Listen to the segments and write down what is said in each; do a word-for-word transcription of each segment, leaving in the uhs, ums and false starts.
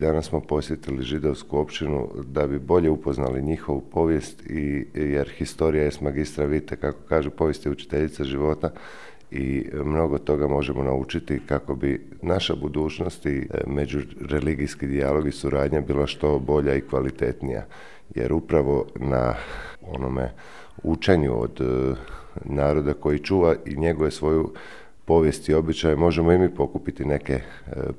Danas smo posjetili židovsku općinu da bi bolje upoznali njihovu povijest, i, jer historija jest magistra vitae, kako kaže, povijest je učiteljica života, i mnogo toga možemo naučiti kako bi naša budućnost i međureligijski dijalog i suradnja bila što bolja i kvalitetnija. Jer upravo na onome učenju od naroda koji čuva i njeguje svoju povijest i običaje možemo i mi pokupiti neke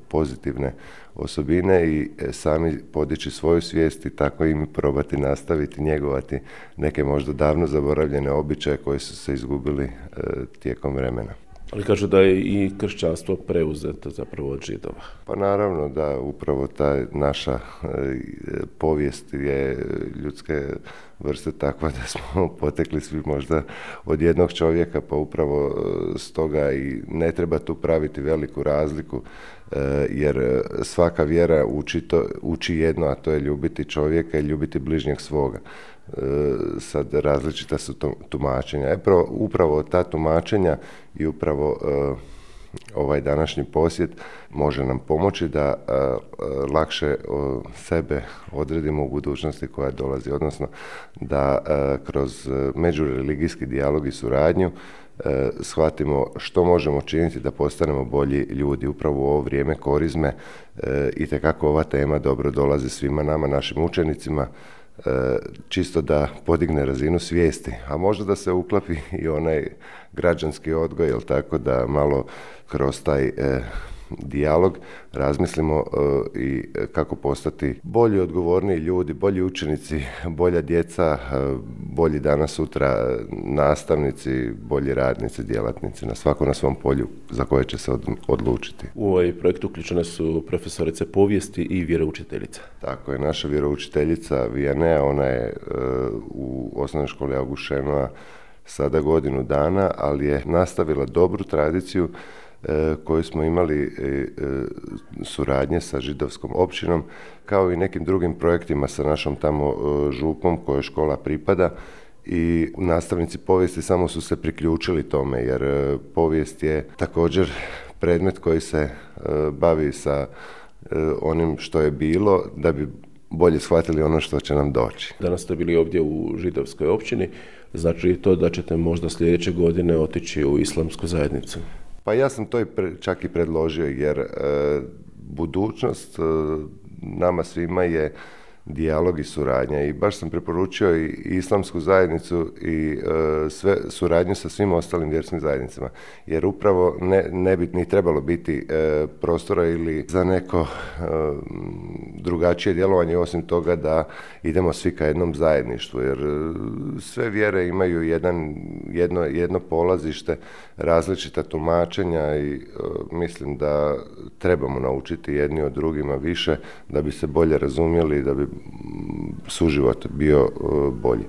pozitivne osobine i sami podići svoju svijest i tako i mi probati nastaviti njegovati neke možda davno zaboravljene običaje koji su se izgubili tijekom vremena. Ali kažu da je i kršćanstvo preuzeto zapravo od Židova. Pa naravno da upravo ta naša povijest je ljudske vrste takva da smo potekli svi možda od jednog čovjeka, pa upravo stoga i ne treba tu praviti veliku razliku, jer svaka vjera uči, to, uči jedno, a to je ljubiti čovjeka i ljubiti bližnjeg svoga. Sad različita su tumačenja. E, upravo ta tumačenja i upravo ovaj današnji posjet može nam pomoći da uh, lakše uh, sebe odredimo u budućnosti koja dolazi, odnosno da uh, kroz međureligijski dijalog i suradnju uh, shvatimo što možemo činiti da postanemo bolji ljudi. Upravo u ovo vrijeme korizme uh, itekako ova tema dobro dolazi svima nama, našim učenicima, čisto da podigne razinu svijesti, a možda da se uklapi i onaj građanski odgoj, jel tako, da malo kroz taj e, dijalog razmislimo e, i kako postati bolji, odgovorniji ljudi, bolji učenici, bolja djeca, e, bolji danas sutra nastavnici, bolji radnici, djelatnici, na svako na svom polju za koje će se od, odlučiti. U ovaj projekt uključene su profesorice povijesti i vjeroučiteljica. Tako je, naša vjeroučiteljica Vijanea, ona je e, u osnovnoj školi August Šenoa sada godinu dana, ali je nastavila dobru tradiciju e, koju smo imali e, e, suradnje sa židovskom općinom, kao i nekim drugim projektima sa našom tamo e, župom kojoj škola pripada, i nastavnici povijesti samo su se priključili tome, jer e, povijest je također predmet koji se e, bavi sa e, onim što je bilo, da bi bolje shvatili ono što će nam doći. Danas ste bili ovdje u židovskoj općini, znači li to da ćete možda sljedeće godine otići u islamsku zajednicu? Pa ja sam to i pre, čak i predložio, jer e, budućnost e, nama svima je dijalog i suradnja, i baš sam preporučio i islamsku zajednicu i e, sve suradnju sa svim ostalim vjerskim zajednicama, jer upravo ne, ne bi ni trebalo biti e, prostora ili za neko e, drugačije djelovanje, osim toga da idemo svi ka jednom zajedništvu, jer e, sve vjere imaju jedan, jedno, jedno polazište, različita tumačenja, i e, mislim da trebamo naučiti jedni od drugima više da bi se bolje razumjeli i da bi suživot bio bolji.